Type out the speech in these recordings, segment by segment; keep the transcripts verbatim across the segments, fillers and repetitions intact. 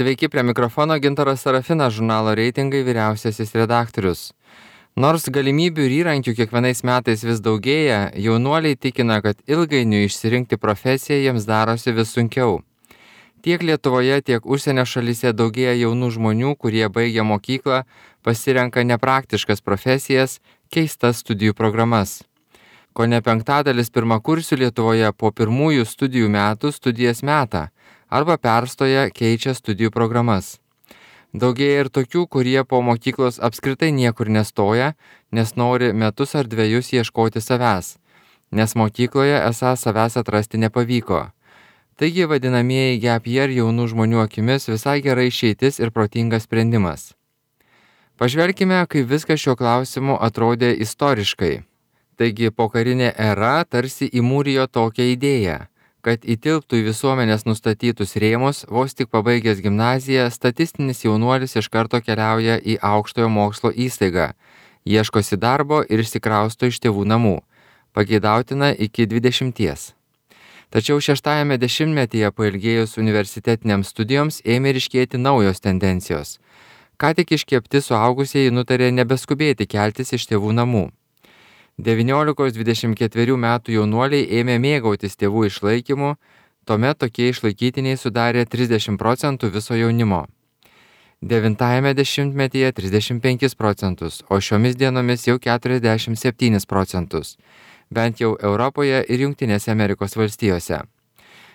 Sveiki, prie mikrofono Gintaras Sarafinas, žurnalo Reitingai vyriausiasis redaktorius. Nors galimybių ir įrankių kiekvienais metais vis daugėja, jaunuoliai tikina, kad ilgainiui išsirinkti profesiją jiems darosi vis sunkiau. Tiek Lietuvoje, tiek užsienio šalyse daugėja jaunų žmonių, kurie baigia mokyklą, pasirenka nepraktiškas profesijas, keistas studijų programas. Kone penktadalis pirmakursių Lietuvoje po pirmųjų studijų metų studijas meta arba perstoja, keičia studijų programas. Daugėja ir tokių, kurie po mokyklos apskritai niekur nestoja, nes nori metus ar dviejus ieškoti savęs, nes mokykloje esą savęs atrasti nepavyko. Taigi vadinamieji gap year jaunų žmonių akimis visai gerai išeitis ir protingas sprendimas. Pažvelkime, kaip viskas šiuo klausimu atrodė istoriškai. Taigi pokarinė era tarsi įmūrijo tokią idėją, kad įtilptų į visuomenės nustatytus rėmus, vos tik pabaigęs gimnaziją, statistinis jaunuolis iš karto keliauja į aukštojo mokslo įstaigą, ieškosi darbo ir išsikrausto iš tėvų namų, pageidautina iki dvidešimties. Tačiau šeštajame dešimtmetyje pailgėjus universitetinėms studijoms ėmė ryškėti naujos tendencijos. Ką tik iškepti suaugusieji nutarė nebeskubėti keltis iš tėvų namų. devyniolikos dvidešimt ketverių metų jaunuoliai ėmė mėgautis tėvų išlaikymu, tuomet tokie išlaikytiniai sudarė trisdešimt procentų viso jaunimo. Devintajame dešimtmetyje trisdešimt penkis procentus, o šiomis dienomis jau keturiasdešimt septynis procentus, bent jau Europoje ir Jungtinėse Amerikos valstijose.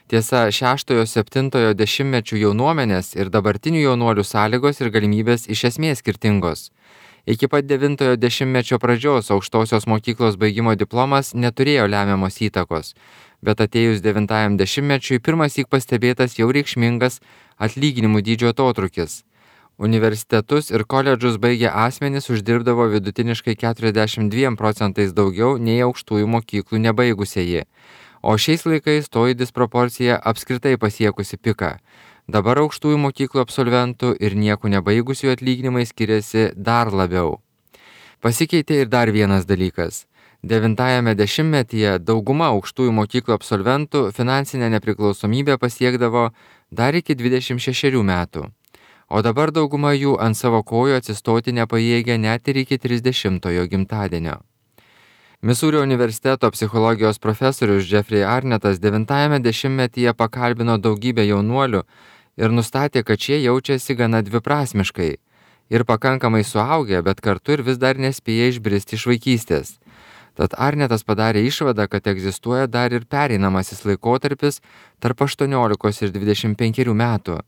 Tiesa, šeštojo septintojo dešimtmečių jaunuomenės ir dabartinių jaunuolių sąlygos ir galimybės iš esmės skirtingos. Iki pat devintojo dešimtmečio pradžios aukštosios mokyklos baigimo diplomas neturėjo lemiamos įtakos, bet atėjus devintajam dešimtmečiui pirmąsyk pastebėtas jau reikšmingas atlyginimų dydžio atotrūkis. Universitetus ir koledžus baigę asmenys uždirbdavo vidutiniškai keturiasdešimt dviem procentais daugiau nei aukštųjų mokyklų nebaigusieji, o šiais laikais toji disproporcija apskritai pasiekusi piką. Dabar aukštųjų mokyklų absolventų ir nieko nebaigusių atlyginimai skiriasi dar labiau. Pasikeitė ir dar vienas dalykas. Devintajame dešimtmetyje dauguma aukštųjų mokyklų absolventų finansinę nepriklausomybę pasiekdavo dar iki dvidešimt šešerių metų, o dabar dauguma jų ant savo kojų atsistoti nepajėgia net ir iki trisdešimtojo gimtadienio. Misūrio universiteto psichologijos profesorius Jeffrey Arnettas devintajame dešimtmetyje pakalbino daugybę jaunuolių ir nustatė, kad šie jaučiasi gana dviprasmiškai ir pakankamai suaugę, bet kartu ir vis dar nespėja išbristi iš vaikystės. Tad Arnettas padarė išvadą, kad egzistuoja dar ir pereinamasis laikotarpis tarp aštuoniolikos ir dvidešimt penkerių metų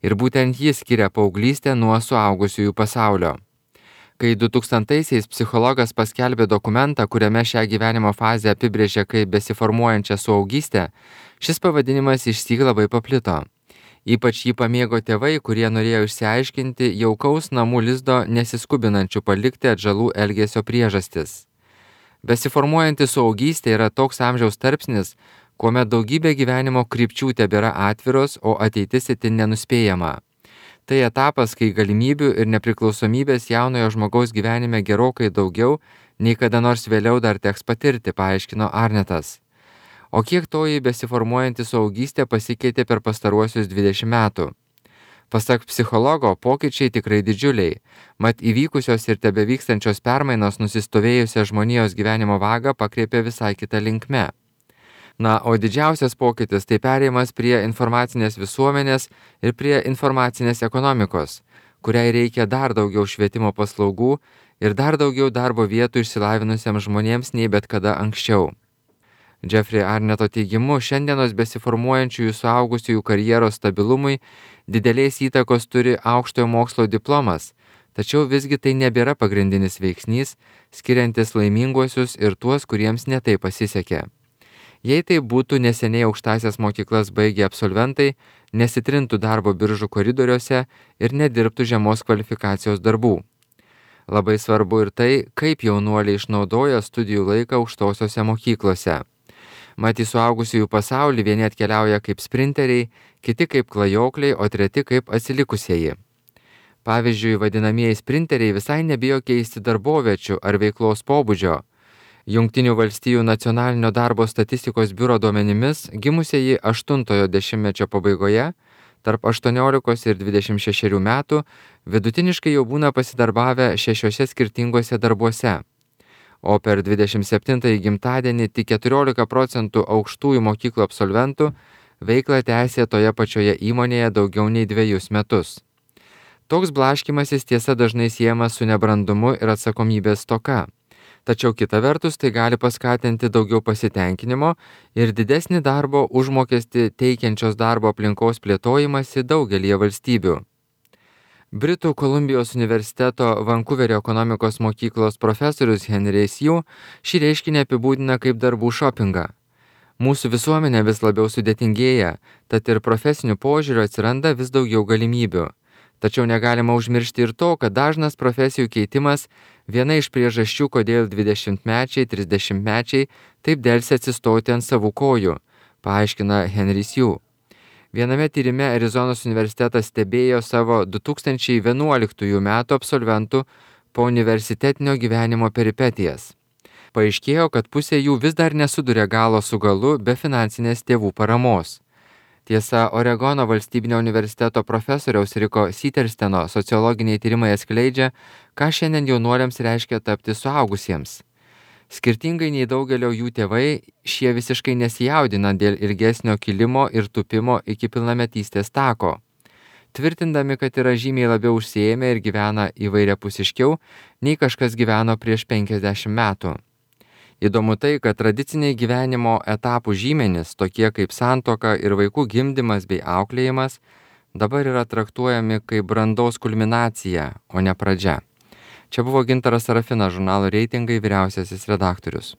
ir būtent jis skiria paauglystę nuo suaugusiųjų pasaulio. Kai du tūkstantaisiais psichologas paskelbė dokumentą, kuriame šią gyvenimo fazę apibrėžė kaip besiformuojančią suaugystę, šis pavadinimas išsyk labai paplito. Ypač jį pamėgo tėvai, kurie norėjo išsiaiškinti jaukaus namų lizdo nesiskubinančių palikti atžalų elgesio priežastis. Besiformuojanti suaugystė yra toks amžiaus tarpsnis, kuomet daugybė gyvenimo krypčių tebėra atviros, o ateitis itin nenuspėjama. Tai etapas, kai galimybių ir nepriklausomybės jaunojo žmogaus gyvenime gerokai daugiau, nei kada nors vėliau dar teks patirti, paaiškino Arnettas. O kiek toji besiformuojanti suaugystė pasikeitė per pastaruosius dvidešimt metų? Pasak psichologo, pokyčiai tikrai didžiuliai, mat įvykusios ir tebevykstančios permainos nusistovėjusią žmonijos gyvenimo vagą pakreipė visai kitą linkme. Na, o didžiausias pokytis tai perėjimas prie informacinės visuomenės ir prie informacinės ekonomikos, kuriai reikia dar daugiau švietimo paslaugų ir dar daugiau darbo vietų išsilavinusiems žmonėms nei bet kada anksčiau. Jeffrey Arnetto teigimu, šiandienos besiformuojančiųjų suaugusiųjų karjeros stabilumui didelės įtakos turi aukštojo mokslo diplomas, tačiau visgi tai nebėra pagrindinis veiksnys, skiriantis laiminguosius ir tuos, kuriems netai pasisekė. Jei tai būtų neseniai aukštąsias mokyklas baigę absolventai, nesitrintų darbo biržų koridoriuose ir nedirbtų žemos kvalifikacijos darbų. Labai svarbu ir tai, kaip jaunuoliai išnaudoja studijų laiką aukštosiose mokyklose. Mat į suaugusiųjų pasaulį vieni atkeliauja kaip sprinteriai, kiti kaip klajokliai, o treti kaip atsilikusieji. Pavyzdžiui, vadinamieji sprinteriai visai nebijo keisti darboviečių ar veiklos pobūdžio. Jungtinių valstijų nacionalinio darbo statistikos biuro duomenimis gimusieji aštuntojo dešimtmečio pabaigoje tarp aštuoniolikos ir dvidešimt šešerių metų vidutiniškai jau būna pasidarbavę šešiuose skirtinguose darbuose, o per dvidešimt septintąjį gimtadienį tik keturiolika procentų aukštųjų mokyklų absolventų veiklą tęsė toje pačioje įmonėje daugiau nei dvejus metus. Toks blaškymasis tiesa dažnai siejamas su nebrandumu ir atsakomybės stoka. Tačiau kita vertus tai gali paskatinti daugiau pasitenkinimo ir didesnį darbo užmokestį teikiančios darbo aplinkos plėtojimąsi daugelį valstybių. Britų Kolumbijos universiteto Vankuverio ekonomikos mokyklos profesorius Henris Yu šį reiškinį apibūdina kaip darbų šopingą. Mūsų visuomenė vis labiau sudėtingėja, tad ir profesinių požiūrių atsiranda vis daugiau galimybių. Tačiau negalima užmiršti ir to, kad dažnas profesijų keitimas viena iš priežasčių, kodėl dvidešimtmečiai, trisdešimtmečiai taip delsia atsistoti ant savų kojų, paaiškina Henris Yu. Viename tyrime Arizonos universitetas stebėjo savo du tūkstančiai vienuoliktųjų metų absolventų po universitetinio gyvenimo peripetijas. Paaiškėjo, kad pusė jų vis dar nesuduria galo su galu be finansinės tėvų paramos. Tiesa, Oregono valstybinio universiteto profesoriaus Riko Sittersteno sociologiniai tyrimai atskleidžia, ką šiandien jaunuoliams reiškia tapti suaugusiems. Skirtingai nei daugelio jų tėvai, šie visiškai nesijaudina dėl ilgesnio kilimo ir tupimo iki pilnametystės tako, tvirtindami, kad yra žymiai labiau užsiėmę ir gyvena įvairiapusiškiau, nei kažkas gyveno prieš penkiasdešimt metų. Įdomu tai, kad tradiciniai gyvenimo etapų žymenys, tokie kaip santuoka ir vaikų gimdymas bei auklėjimas, dabar yra traktuojami kaip brandaus kulminacija, o ne pradžia. Čia buvo Gintaras Sarafinas, žurnalo Reitingai vyriausiasis redaktorius.